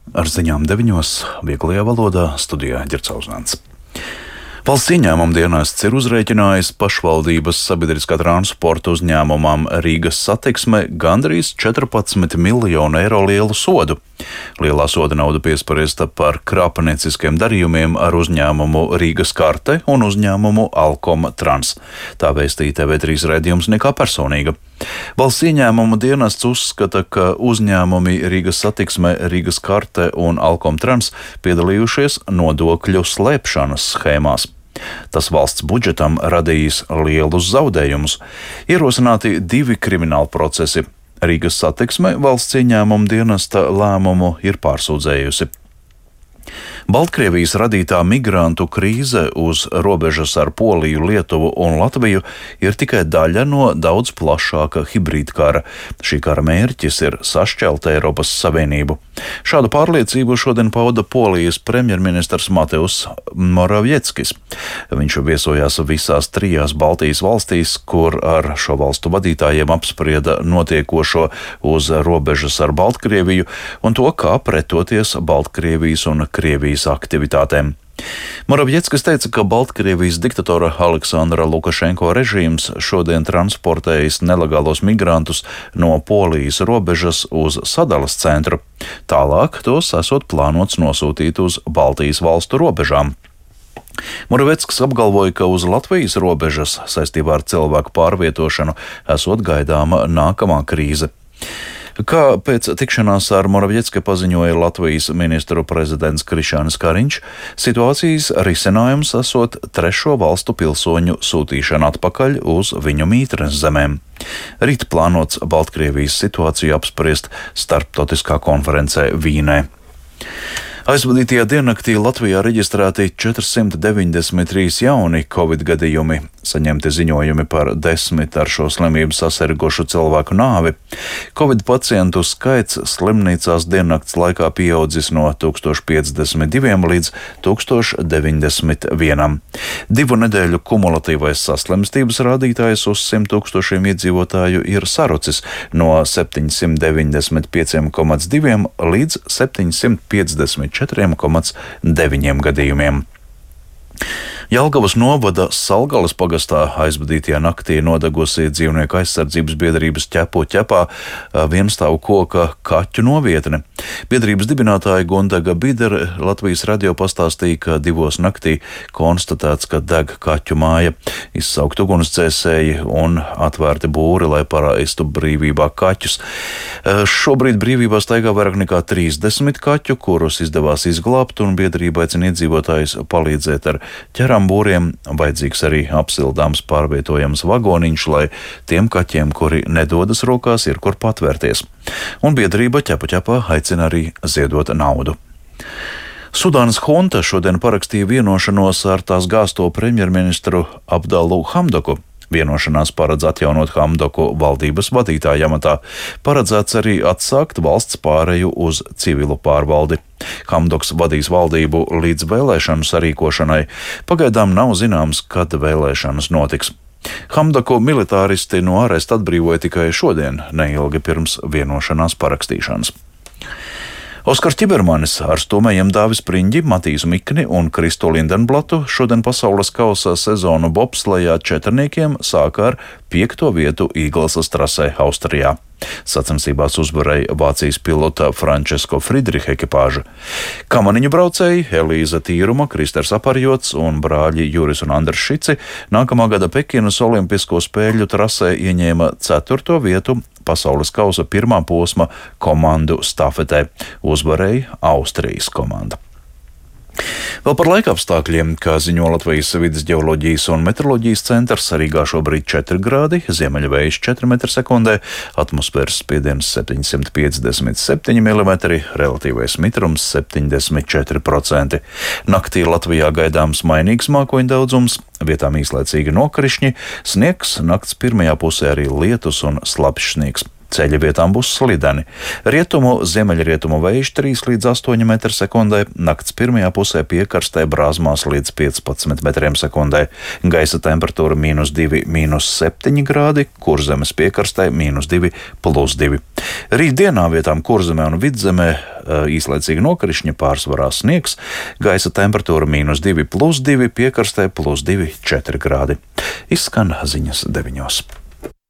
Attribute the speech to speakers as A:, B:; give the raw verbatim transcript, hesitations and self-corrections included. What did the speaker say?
A: Ar ziņām deviņos vieglajā valodā studijā Ģercauzāns. Valsts ieņēmuma dienests ir uzrēķinājis pašvaldības sabiedriskā transporta uzņēmumam Rīgas Satiksme gandrīz četrpadsmit miljonu eiro lielu sodu. Lielā soda nauda piespriesta par krāpnieciskiem darījumiem ar uzņēmumu Rīgas Karte un uzņēmumu Alkom Trans. Tā vēstīja T V trīs raidījums Nekā personīga. Valsts ieņēmuma dienests uzskata, ka uzņēmumi Rīgas Satiksme, Rīgas Karte un Alkom Trans piedalījušies nodokļu slēpšanas schēmās. Tas valsts budžetam radījis lielus zaudējumus. Ierosināti divi krimināli procesi. Rīgas Satiksme valsts ieņēmuma dienesta lēmumu ir pārsūdzējusi. Baltkrievijas radītā migrantu krīze uz robežas ar Poliju, Lietuvu un Latviju ir tikai daļa no daudz plašāka hibrīda kara. Šī kara mērķis ir sašķelt Eiropas Savienību. Šādu pārliecību šodien pauda Polijas premjerministrs Mateusz Moravieckis. Viņš viesojās visās trijās Baltijas valstīs, kur ar šo valstu vadītājiem apsprieda notiekošo uz robežas ar Baltkrieviju un to, kā pretoties Baltkrievijas un Krievijas aktivitātēm. Moravieckis teica, ka Baltkrievijas diktatora Aleksandra Lukašenko režīms šodien transportējis nelegālos migrantus no Polijas robežas uz sadalas centru. Tālāk tos esot plānots nosūtīt uz Baltijas valstu robežām. Moravieckis apgalvoja, ka uz Latvijas robežas saistībā ar cilvēku pārvietošanu esot gaidāma nākamā krīze. Kā pēc tikšanās ar Moraviecki paziņoja Latvijas ministru prezidents Krišjānis Kariņš, situācijas risinājums esot trešo valstu pilsoņu sūtīšana atpakaļ uz viņu mītnes zemēm. Rīt plānots Baltkrievijas situāciju apspriest starptautiskā konferencē Vīnē. Aizvadītajā diennaktī Latvijā reģistrēti četrsimt deviņdesmit trīs jauni covid gadījumi, saņemti ziņojumi par desmit ar šo slimību sasirgušu cilvēku nāvi. Covid pacientu skaits slimnīcās diennakts laikā pieaudzis no tūkstoš piecdesmit diviem līdz tūkstoš deviņdesmit vienam. Divu nedēļu kumulatīvais saslimstības rādītājs uz simt tūkstošiem iedzīvotāju ir sarucis no septiņsimt deviņdesmit pieciem komats diviem līdz septiņsimt piecdesmit četriem komats deviņiem gadījumiem. Jelgavas novada Salgales pagastā aizvadītajā naktī nodegusi dzīvnieku aizsardzības biedrības Ķepo ķepā vienstāvu koka kaķu novietne. Biedrības dibinātāja Gundaga Bidere Latvijas radio pastāstīja, ka divos naktī konstatēts, ka deg kaķu māja, izsaukt ugunsdzēsēji un atvērti būri, lai palaistu brīvībā kaķus. Šobrīd brīvībā staigā vairāk nekā trīsdesmit kaķu, kurus izdevās izglābt, un biedrība aicina iedzīvotājus palīdzēt ar ķerām būriem. Vajadzīgs arī apsildāms pārvietojams vagoniņš, lai tiem kaķiem, kuri nedodas rokās, ir kur patvērties. Un biedrība Ķepo ķepā aicina arī ziedot naudu. Sudānas hunta šodien parakstīja vienošanos ar tās gāsto premjerministru Abdalu Hamdoku. Vienošanās paredz atjaunot Hamdoku valdības vadītāja amatā. Paredzēts arī atsākt valsts pāreju uz civilu pārvaldi. Hamdoks vadīs valdību līdz vēlēšanu sarīkošanai. Pagaidām nav zināms, kad vēlēšanas notiks. Hamdoku militāristi no āresta atbrīvoja tikai šodien, neilgi pirms vienošanās parakstīšanas. Oskars Čibermanis ar stūmējiem Dāvis Priņģi, Matīsu Mikni un Kristu Lindenblatu šodien pasaules kausa sezonu bobslejā četrniekiem sāka ar piekto vietu Īglesas trasē Austrijā. Sacensībās uzvarēja Vācijas pilota Frančesko Friedricha ekipāža. Kamaniņu braucēji Elīza Tīruma, Kristers Aparjots un brāļi Juris un Andrs Šici nākamā gada Pekinas olimpisko spēļu trasē ieņēma ceturto vietu pasaules kausa pirmā posma komandu stafetē. Uzvarēja Austrijas komanda. Vēl par laikapstākļiem, kā ziņo Latvijas vides ģeoloģijas un meteoroloģijas centrs, Rīgā šobrīd četri grādi, ziemeļvējš četri metri sekundē, atmosfēras spiediens septiņsimt piecdesmit septiņi milimetri, relatīvais mitrums septiņdesmit četri procenti. Naktī Latvijā gaidāms mainīgs mākoņu daudzums, vietām īslaicīgi nokrišņi, sniegs, nakts pirmajā pusē arī lietus un slapjš sniegs. Ceļa vietām būs slideni. Rietumu, ziemeļrietumu vējš trīs līdz astoņi metri sekundē, nakts pirmajā pusē piekarstē brāzmās līdz piecpadsmit metriem sekundē. Gaisa temperatūra mīnus divi, mīnus septiņi grādi, Kurzemes piekarstē mīnus divi, plus divi. Rītdienā vietām Kurzemē un Vidzemē īslaicīgi nokrišņi, pārsvarā sniegs, gaisa temperatūra mīnus divi plus divi, piekrastē plus divi četri grādi. Izskan ziņas deviņos.